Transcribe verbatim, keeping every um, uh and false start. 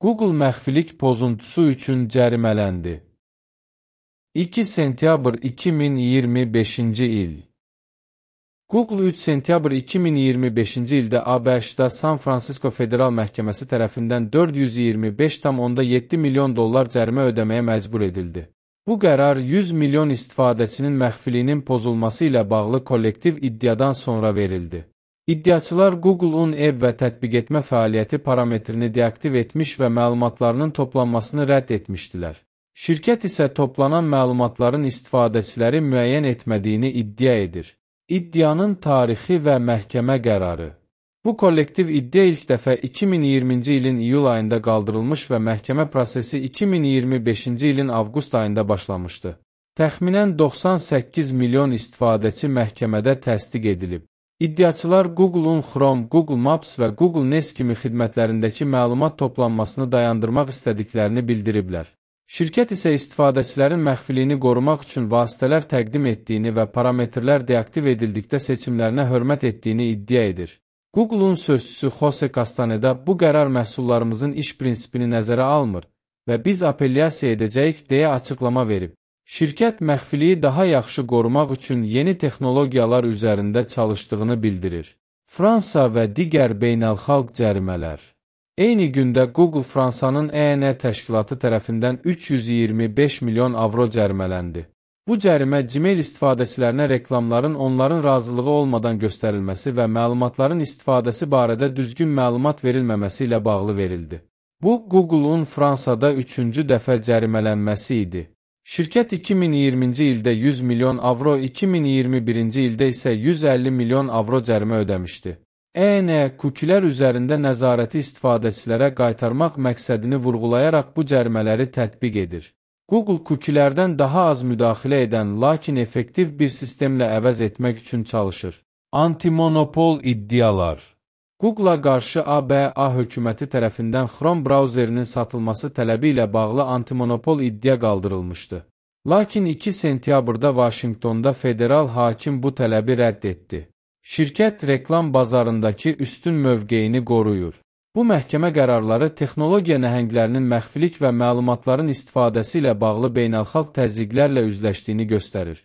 Google məxfilik pozuntusu üçün cərimələndi. iki sentyabr iki min iyirmi beşinci il. Google üç sentyabr iki min iyirmi beşinci ildə A B Ş-da San Francisco Federal Məhkəməsi tərəfindən dörd yüz iyirmi beş tam onda yeddi milyon dollar cərimə ödəməyə məcbur edildi. Bu qərar yüz milyon istifadəçinin məxfiliyinin pozulması ilə bağlı kollektiv iddiadan sonra verildi. İddiaçılar Google-un ev və tətbiq etmə fəaliyyəti parametrini deaktiv etmiş və məlumatlarının toplanmasını rədd etmişdilər. Şirkət isə toplanan məlumatların istifadəçiləri müəyyən etmədiyini iddia edir. İddianın tarixi və məhkəmə qərarı. Bu kollektiv iddia ilk dəfə iki min iyirminci ilin iyul ayında qaldırılmış və məhkəmə prosesi iki min iyirmi beşinci ilin avqust ayında başlamışdı. Təxminən doxsan səkkiz milyon istifadəçi məhkəmədə təsdiq edilib. İddiaçılar Google-un Chrome, Google Maps və Google Nest kimi xidmətlərindəki məlumat toplanmasını dayandırmaq istədiklərini bildiriblər. Şirkət isə istifadəçilərin məxfiliyini qorumaq üçün vasitələr təqdim etdiyini və parametrlər deaktiv edildikdə seçimlərinə hörmət etdiyini iddia edir. Google-un sözçüsü Jose Castaneda bu qərar məhsullarımızın iş prinsipini nəzərə almır və biz apellyasiya edəcəyik deyə açıqlama verib. Şirkət məxfiliyi daha yaxşı qorumaq üçün yeni texnologiyalar üzərində çalışdığını bildirir. Fransa və digər beynəlxalq cərimələr. Eyni gündə Google Fransanın E N təşkilatı tərəfindən üç yüz iyirmi beş milyon avro cərimələndi. Bu cərimə Gmail istifadəçilərinə reklamların onların razılığı olmadan göstərilməsi və məlumatların istifadəsi barədə düzgün məlumat verilməməsi ilə bağlı verildi. Bu, Google-un Fransada üçüncü dəfə cərimələnməsi idi. Şirkət iki min iyirminci ildə yüz milyon avro, iki min iyirmi birinci ildə isə yüz əlli milyon avro cərimə ödəmişdi. E N kukilər üzərində nəzarəti istifadəçilərə qaytarmaq məqsədini vurğulayaraq bu cərimələri tətbiq edir. Google kukilərdən daha az müdaxilə edən, lakin effektiv bir sistemlə əvəz etmək üçün çalışır. Antimonopol iddialar. Google-a qarşı A B A hökuməti tərəfindən Chrome brauzerinin satılması tələbi ilə bağlı antimonopol iddia qaldırılmışdı. Lakin iki sentyabrda Vaşinqtonda federal hakim bu tələbi rədd etdi. Şirkət reklam bazarındakı üstün mövqeyini qoruyur. Bu məhkəmə qərarları texnologiya nəhənglərinin məxfilik və məlumatların istifadəsi ilə bağlı beynəlxalq təzyiqlərlə üzləşdiyini göstərir.